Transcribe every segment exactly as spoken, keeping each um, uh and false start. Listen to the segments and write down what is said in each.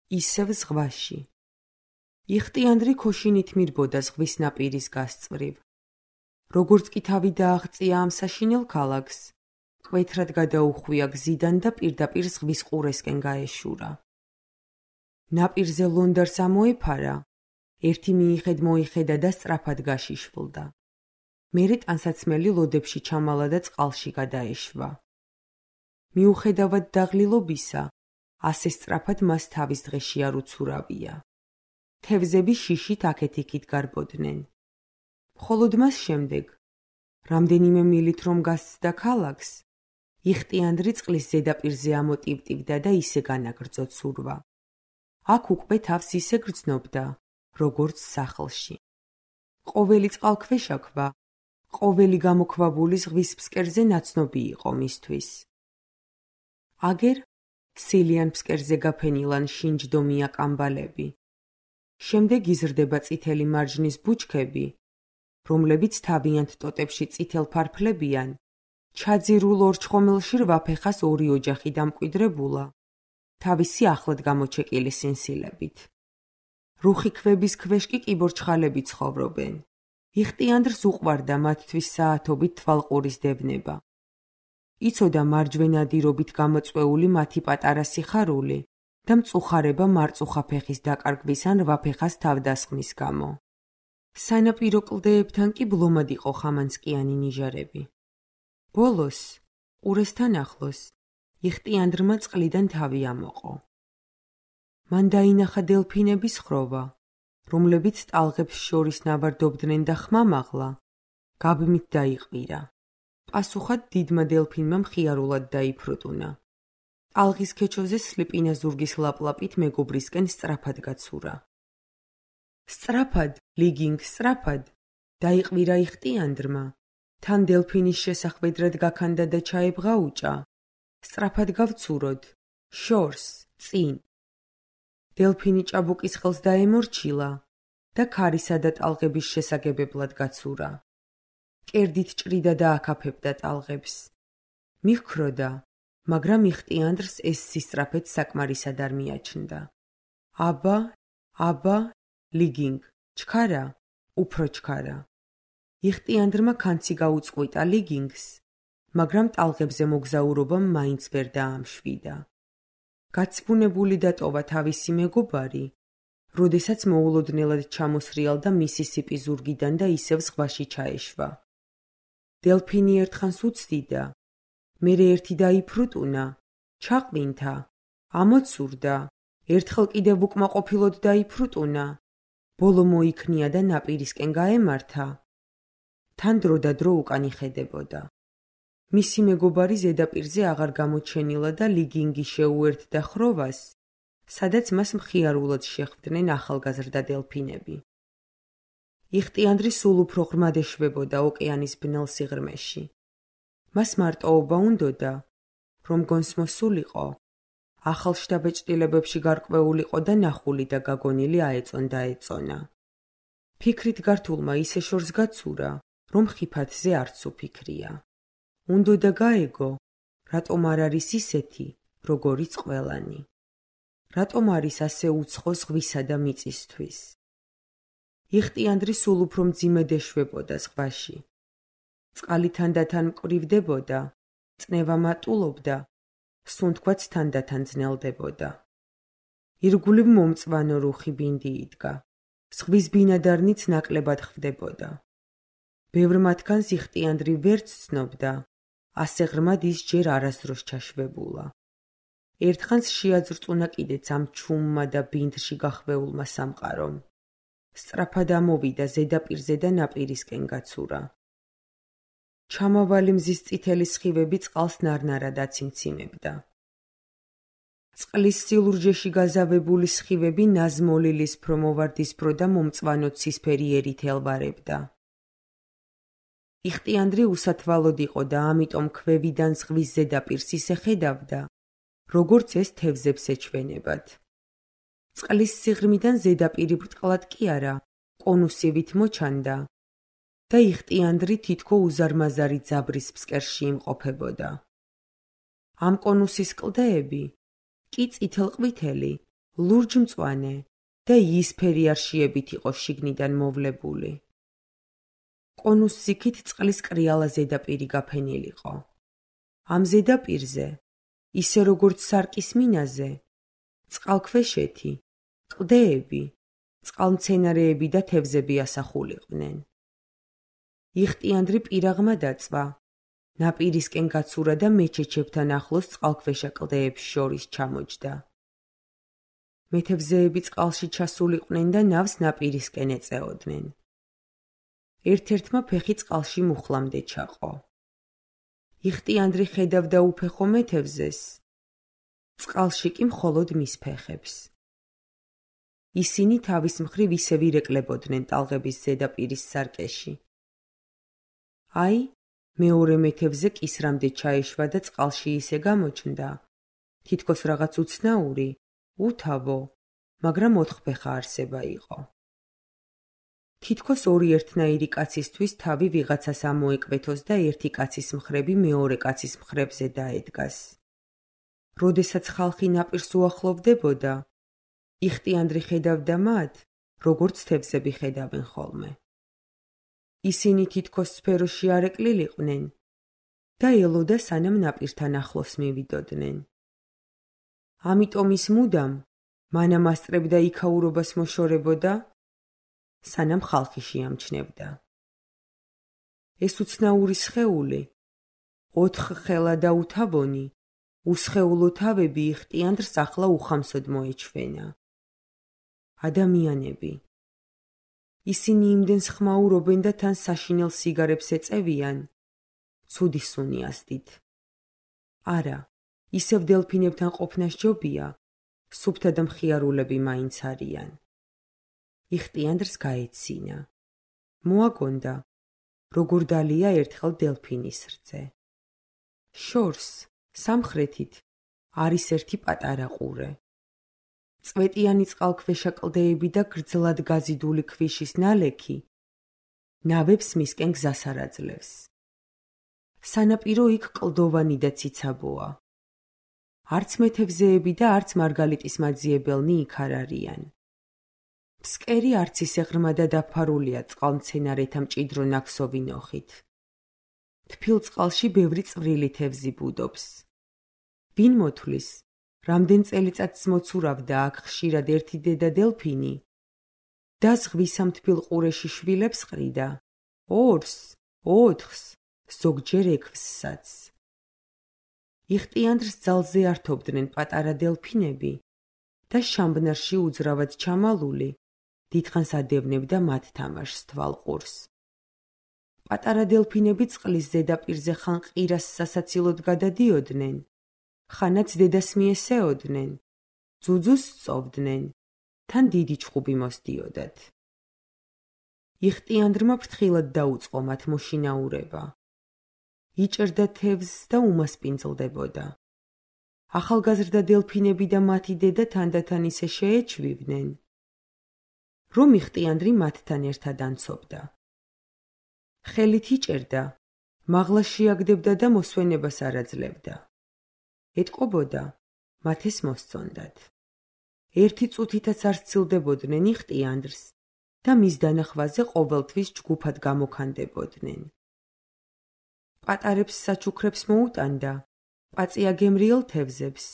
ისევ ზღვაში. იხტიანდრი ქოშინით მირბოდა ზღვის ნაპირის გასწვრივ. როგორც კი თავი დააღწია ამ საშინელ ქალაქს, მკვეთრად გადაუხვია გზიდან და პირდაპირ ზღვის ყურესკენ გაეშურა. ნაპირზე ლონდარს ამოეფარა, ერთი მიიხედ მოიხედა და სწრაფად გაშიშვლდა. მერე ტანსაცმელი ლოდებში ჩამალა და წყალში გადაეშვა. მიუხედავად დაღლილობისა, ასე სწრაფად მას თავის დღეში არ უცურავია. თევზები შიშით აქეთ-იქით გარბოდნენ. მხოლოდ მას შემდეგ, რამდენიმე მილით რომ გასცდა ქალაქს, იხტიანდრი წყლის ზედაპირზე ამოტივტივდა და ისე განაგრძო ცურვა. აქ უკვე თავს ისე გრძნობდა, როგორც სახლში. ყოველი წყალქვეშაქვა, ყოველი გამოქვაბული ზღვის ფსკერზე ნაცნობი იყო მისთვის. აგერ სილიან ფსკერზე გაფენილან შინჯდომია კამბალები. შემდეგ იზრდება წითელი მარჯნის ბუჩქები, რომლებიც თავიანთ ტოტებში წითელ ფარფლებიან, ჩაძირულ ორჩხომილში რვაფეხას ორი ოჯახი დამკვიდრებულა, თავისი ახლად გამოჩეკილი სინსილებით. რუხი ქვების ქვეშ კი კიბორჩხალები ცხოვრობენ. იხტიანდრს უყვარდა მათთვის საათობით თვალყურის დევნება. იცოდა მარჯვენა დირობით გამოწვეული მათი პატარა სიხარული და მწუხარება მარწუხა ფეხის დაკარგვის ან რვაფეხას თავდასხმის გამო. სანაპირო კლდეებთან კი ბლომად იყო ხამანწკიანი ნიჟარები. ბოლოს, ყურესთან ახლოს, იხტიანდრმა წყლიდან თავი ამოყო. მან დაინახა დელფინების ხროვა, რომლებიც ტალღებს შორის ნავარდობდნენ და ხმამაღლა, გაბმით დაიყვირა. პასუხად დიდმა დელფინმა მხიარულად დაიფრუტუნა. ტალღის ქეჩოზე სლიპინა ზურგის ლაპლაპით მეგობრისკენ სწრაფად გაცურა. სწრაფად, ლიგინგ, სწრაფად, დაიყვირა იხტიანდრმა, თან დელფინის შესახვედრად გაქანდა და ჩაებღაუჭა. სწრაფად გავცუროთ, შორს, წინ. დელფინი ჭაბუკის ხელს დაემორჩილა და ქარისა და ტალღების შესაგებებლად გაცურა. კერდით ჭრიდა და აკაფებდა ტალღებს. მიჰქროდა, მაგრამ იხტიანდრს ეს სისწრაფეც საკმარისად არ მიაჩნდა. აბა, აბა, ლიგინგ, ჩქარა, უფრო ჩქარა. იხტიანდრმა კანცი გაუწყვიტა ლიგინგს, მაგრამ ტალღებზე მოგზაურობამ მაინც ვერ დაამშვიდა. გაცბუნებული დატოვა თავისი მეგობარი, როდესაც მოულოდნელად ჩამოსრიალდა მისისიპი ზურგიდან და ისევ ზღვაში ჩაეშვა. დელფინი ერთხანს უცდიდა, მერე ერთი დაიფრუტუნა, ჩაყვინთა, ამოცურდა, ერთხელ კიდევ უკმაყოფილოდ დაიფრუტუნა, ბოლო მოიქნია და ნაპირისკენ გაემართა. თან დრო და დრო უკან იხედებოდა. მისი მეგობარი ზედაპირზე აღარ გამოჩენილა და ლიგინგი შეუერთდა ხროვას, სადაც მას მხიარულად შეხვდნენ ახალგაზრდა დელფინები. იხტიანდრი სულ უფრო ღრმად ეშვებოდა ოკეანის ბნელ სიღრმეში. მას მარტოობა უნდოდა, რომ გონს მოსულიყო, ახალ შთაბეჭდილებებში გარკვეულიყო და ნახული და გაგონილი აეწონდა ეწონა. ფიქრით გართულმა ისე შორს გაცურა, რომ ხიფათზე არც უფიქრია. უნდოდა გაეგო, რატომ არ არის ისეთი, როგორიც ყველანი. რატომ არის ასე უცხო ზღვისა და მიწისთვის. იხტიანდრი სულ უფრო მძიმედ ეშვებოდა ზღვაში. წყალი თანდათან მკვრივდებოდა, წნევა მატულობდა, სუნთქვაც თანდათან ძნელდებოდა. ირგვლივ მომწვანო რუხი ბინდი იდგა, ზღვის ბინადარნიც ნაკლებად ხვდებოდა. ბევრ მათგანს იხტიანდრი ვერც ცნობდა, ასე ღრმად ის ჯერ არასდროს ჩაშვებულა. ერთხანს შეაძრწუნა კიდეც ამ ჩუმმა და ბინდში გახვეულმა სამყარომ. სწრაფად ამოვიდა ზედაპირზე და ნაპირისკენ გაცურა. ჩამავალი მზის წითელი სხივები წყალს ნარნარად აციმციმებდა. წყლის სილურჯეში გაზავებული სხივები ნაზმოლილის-ფრო მოვარდისფრო და მომწვანო ცისფერი ერით ელვარებდა. იხტიანდრი უსათვალოდ იყო და ამიტომ ქვევიდან ზღვის ზედაპირს ისე ხედავდა, როგორც ეს თევზებს ეჩვენებად. წყლის სიღრმიდან ზედაპირი ბრტყლად კი არა, კონუსივით მოჩანდა და იხტიანდრი თითქო უზარმაზარი ძაბრის ფსკერში იმყოფებოდა. ამ კონუსის კლდეები კი წითელ-ყვითელი, ლურჯ-მწვანე და იისფერი არშიებით იყო შიგნიდან მოვლებული. კონუს სიქით წყლის კრიალა ზედაპირი გაფენილიყო. ამ ზედაპირზე, ისე როგორც სარკის მინაზე, წყალქვეშეთი, კლდეები, წყალმცენარეები და თევზები ასახულიყვნენ. იხტიანდრი პირაღმა დაწვა, ნაპირისკენ გაცურა და მეჩეჩებთან ახლოს წყალქვეშა კლდეებს შორის ჩამოჯდა. მეთევზეები წყალში ჩასულიყვნენ და ნავს ნაპირისკენ ეწეოდნენ. ერთ-ერთმა ფეხი წყალში მუხლამდე ჩაყო. იხტიანდრი ხედავდა უფეხო მეთევზეს, წყალში კი მხოლოდ მის ფეხებს. ისინი თავის მხრივ ისევ ირეკლებოდნენ ტალღების ზედაპირის სარკეში. აი, მეორე მეთევზე კისრამდე ჩაეშვა და წყალში ისე გამოჩნდა, თითქოს რაღაც უცნაური, უთავო, მაგრამ ოთხფეხა არსება იყო. თითქოს ორი ერთნაირი კაცისთვის თავი ვიღაცას ამოეკვეთოს და ერთი კაცის მხრები მეორე კაცის მხრებზე დაედგას. როდესაც ხალხი ნაპირს უახლოვდებოდა, იხტიანდრი ხედავდა მათ, როგორც თევზები ხედავენ ხოლმე. ისინი თითქოს სფეროში არ ეკლილიყვნენ და ელოდა სანამ ნაპირთან ახლოს მივიდოდნენ. ამიტომ ის მუდამ მანამ ასწრებდა იქაურობას მოშორებოდა, სანამ ხალხი შეამჩნევდა. ეს უცნაური სხეული, ოთხხელა და უთავონი, უსხეულო თავები იხტიანდრს ახლა უხამსოდ მოეჩვენა. ადამიანები. ისინი იმდენს ხმაურობენ და თან საშინელ სიგარებს ეწევიან, ცუდი სუნი ასდით. არა, ისევ დელფინებთან ყოფნა სჯობია, სუფთა და მხიარულები მაინც არიან. იხტიანდრს გაეცინა. მოაგონდა, როგორ დალია ერთხელ დელფინის რძე. შორს, სამხრეთით, არის ერთი პატარა ყურე. წვეტიანი წყალქვეშა კლდეები და გრძლად გაზიდული ქვიშის ნალექი ნავებს მისკენ გზას არ აძლევს. სანაპირო იქ კლდოვანი და ციცაბოა. არც მეთევზეები და არც მარგალიტის მაძიებელნი იქ არ არიან. ფსკერი არც ისე ღრმა და დაფარულია წყალმცენარეთა მჭიდრო ნაქსოვი ნოხით. თბილ წყალში ბევრი წვრილი თევზი ბუდობს. ვინ მოთვლის, რამდენ წელიწადს მოცურავდა აქ ხშირად ერთი დედა დელფინი და ზღვის ამ თბილ ყურეში შვილებს ყრიდა, ორს, ოთხს, ზოგჯერ ექვსსაც. იხტიანდრს ძალზე ართობდნენ პატარა დელფინები და შამბნარში უძრავად ჩამალული დიდხანს ადევნებდა მათ თამაშს თვალყურს. პატარა დელფინები წყლის ზედაპირზე ხან ყირას სასაცილოდ გადადიოდნენ, ხანაც დედას მიესეოდნენ, ძუძუს სწოვდნენ, თან დიდი ჩხუბი მოსდიოდათ. იხტიანდრმა ფრთხილად დაუწყო მათ მოშინაურება. იჭერდა თევზს და უმასპინძლდებოდა. ახალგაზრდა დელფინები და მათი დედა თანდათან ისე შეეჩვივდნენ, რომ იხტიანდრი მათთან ერთად ანცობდა. ხელით იჭერდა, მაღლა შეაგდებდა და მოსვენებას არ აძლევდა. ეტყობოდა, მათ ეს მოსწონდათ. ერთი წუთითაც არ სცილდებოდნენ იხტიანდრს და მის დანახვაზე ყოველთვის ჯგუფად გამოქანდებოდნენ. პატარებს საჩუქრებს მოუტანდა, პაწია გემრიელ თევზებს,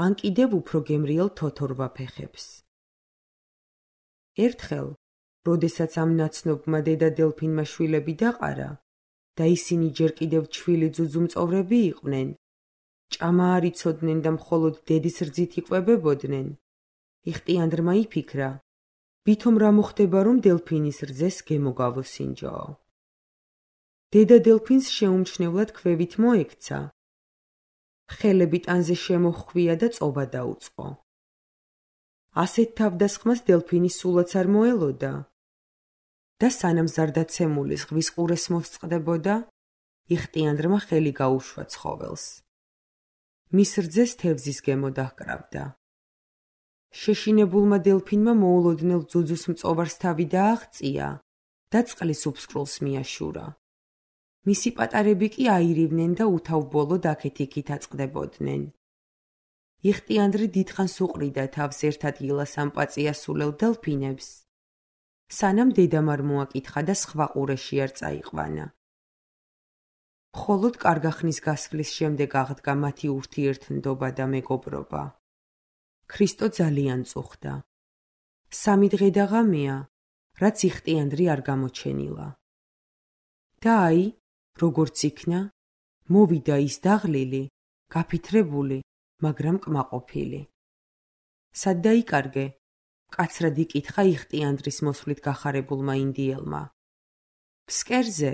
ან კიდევ უფრო გემრიელ თოთორვა ფეხებს. ერთხელ, როდესაც ამ ნაცნობმა დედა დელფინმა შვილები დაყარა და ისინი ჯერ კიდევ ჩვილი ძუძუმწოვრები იყვნენ, ჭამა არ იცოდნენ და მხოლოდ დედის რძით იკვებებოდნენ, იხტიანდრმა იფიქრა, ვითომ რა მოხდება, რომ დელფინის რძეს გემოგავოსინჯოო. დედა დელფინს შეუმჩნევლად ქვევით მოექცა, ხელები ტანზე შემოჰხვია და წობა დაუწყო. ასეთ თავდასხმას დელფინი სულაც არ მოელოდა და სანამ ზარდაცემული ზღვის ყურეს მოსწყდებოდა, იხტიანდრმა ხელი გაუშვა ცხოველს. მის რძეს თევზის გემო დაჰკრავდა. შეშინებულმა დელფინმა მოულოდნელ ძუძუს მწოვარს თავი დააღწია და წყლის უფსკრულს მიაშურა. მისი პატარები კი აირივნენ და უთავბოლოდ აქეთ-იქით აწყდებოდნენ. იხტიანდრი დიდხანს უყრიდა თავს ერთ ადგილას ამ პაწიასულელ დელფინებს, სანამ დედამ არ მოაკითხა და სხვა ყურეში არ წაიყვანა. მხოლოდ კარგახნის გასვლის შემდეგ აღდგა მათი ურთიერთნდობა და მეგობრობა. ქრისტო ძალიან წუხდა. სამი დღე და ღამეა, რაც იხტიანდრი არ გამოჩენილა. და აი, როგორც იქნა, მოვიდა ის დაღლილი, გაფითრებული, მაგრამ კმაყოფილი. სად დაიკარგე? მკაცრად იკითხა იხტიანდრის მოსვლით გახარებულმა ინდიელმა. ფსკერზე,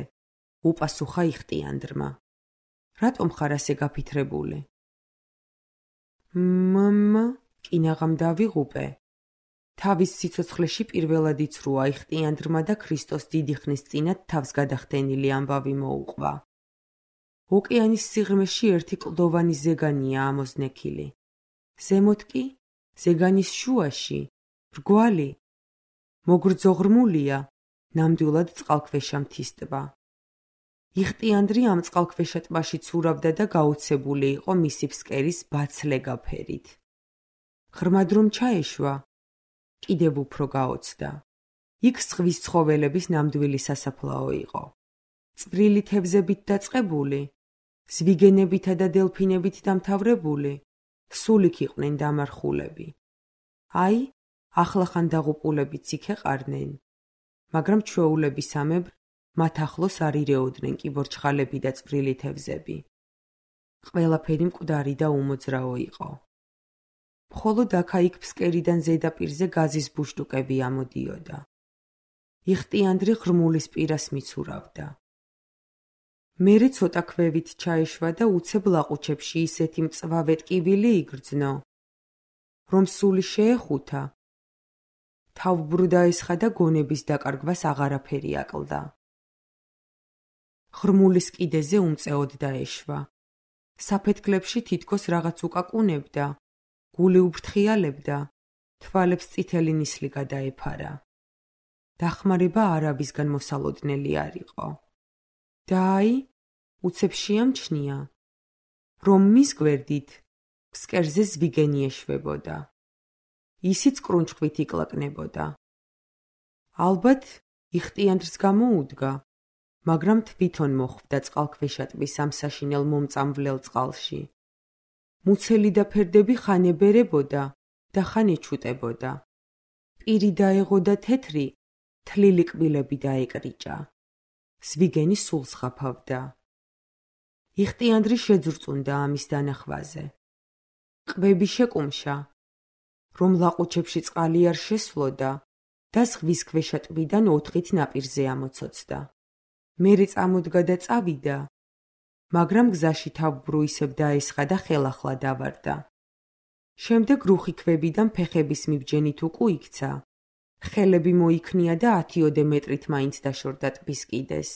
უპასუხა იხტიანდრმა. რატომ ხარ ასე გაფითრებული? მამა, კინაღამ დავიღუპე. თავის სიცოცხლეში პირველად იცრუა იხტიანდრმა და ქრისტოს დიდი ხნის წინათ თავს გადახდენილი ამბავი მოუყვა. ოკეანის სიღრმეში ერთი კლდოვანი ზეგანია ამოზნექილი. ზემოთ კი, ზეგანის შუაში, მრგვალი, მოგრძო-ღრმულია, ნამდვილად წყალქვეშა მთის ტბა. იხტიანდრი ამ წყალქვეშა ტბაში ცურავდა და გაოცებული იყო მისი ფსკერის ბაცლეგა ფერით. ღრმად რომ ჩაეშვა, კიდევ უფრო გაოცდა. იქ ზღვის ცხოველების ნამდვილი სასაფლაო იყო. წვრილი თევზებით დაწყებული, ზვიგენებითა და დელფინებით დამთავრებული, სულ იქ იყვნენ დამარხულები. აი, ახლახან დაღუპულებიც იქ ეყარნენ, მაგრამ ჩვეულებისამებრ მათ ახლოს არ ირეოდნენ კიბორჩხალები და წვრილი თევზები. ყველაფერი მკვდარი და უმოძრაო იყო. მხოლოდ აქა-იქ ფსკერიდან ზედაპირზე გაზის ბუშტუკები ამოდიოდა. იხტიანდრი ღრმულის პირას მიცურავდა. მერე ცოტა ქვევით ჩაეშვა და უცებ ლაყუჩებში ისეთი მწვავე ტკივილი იგრძნო, რომ სული შეეხუთა. თავბრუ დაესხა და გონების დაკარგვას აღარაფერი აკლდა. ღრმულის კიდეზე უმწეოდ დაეშვა. საფეთქლებში თითქოს რაღაც უკაკუნებდა, გული უფრთხიალებდა, თვალებს წითელი ნისლი გადაეფარა. დახმარება არაბისგან მოსალოდნელი არ იყო. და აი, უცებ შეამჩნია, რომ მის გვერდით ფსკერზე ზვიგენი ეშვებოდა. ისიც კრუნჩხვით იკლაკნებოდა. ალბათ იხტიანდრს გამოუდგა, მაგრამ თვითონ მოხვდა წყალქვეშა ტბის ამ საშინელ მომწამვლელ წყალში. მუცელი და ფერდები ხან ებერებოდა და ხან ეჩუტებოდა. პირი დაეღო და თეთრი, თლილი კბილები დაეკრიჭა. ზვიგენი სულ ზღაფავდა. იხტიანდრი შეძრწუნდა ამის დანახვაზე. ყბები შეკუმშა, რომ ლაყუჩებში წყალი არ შესვლოდა და ზღვის ქვეშა ტბიდან ოთხით ნაპირზე ამოცოცდა. მერე წამოდგა და წავიდა, მაგრამ გზაში თავბრუ ისევ დაესხა და ხელახლა დავარდა. შემდეგ რუხი ქვებიდან ფეხების მიბჯენით უკუიქცა, ხელები მოიქნია და ათიოდე მეტრით მაინც დაშორდა ტბის კიდეს.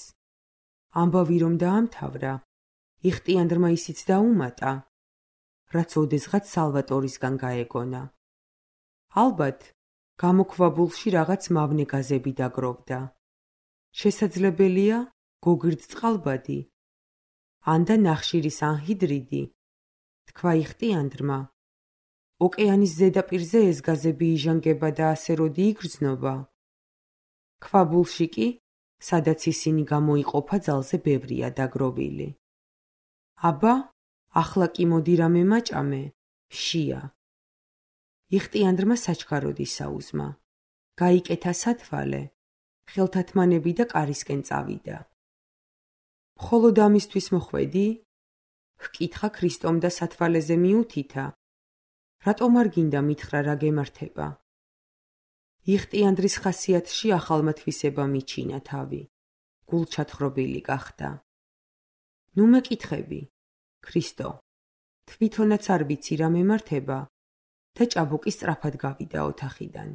ამბავი რომ დაამთავრა, იხტიანდრმა ისიც დაუმატა, რაც ოდესღაც სალვატორისგან გაეგონა. ალბათ, გამოქვაბულში რაღაც მავნე გაზები დაგროვდა. შესაძლებელია, გოგირდ წყალბადი, ან და ნახშირის ანჰიდრიდი, თქვა იხტიანდრმა. ოკეანის ზედაპირზე ეს გაზები იჟანგება და ასე როდი იგრძნობა. ქვაბულში კი, სადაც ისინი გამოიყოფა ძალზე ბევრია დაგროვილი. აბა, ახლა კი მოდი რამე მაჭამე, შია. იხტიანდრმა საჩქაროდ ისაუზმა. გაიკეთა სათვალე, ხელთათმანები და კარისკენ წავიდა. მხოლოდ ამისთვის მოხვედი? ჰკითხა ქრისტომ და სათვალეზე მიუთითა. რატომ არ გინდა მითხრა რა გემართება? იხტიანდრის ხასიათში ახალმა თვისება მიჩინა თავი. გულჩათხრობილი გახდა. ნუ მეკითხები, ქრისტო, თვითონაც არ ვიცი რა მემართება და ჭაბუკი სწრაფად გავიდა ოთახიდან.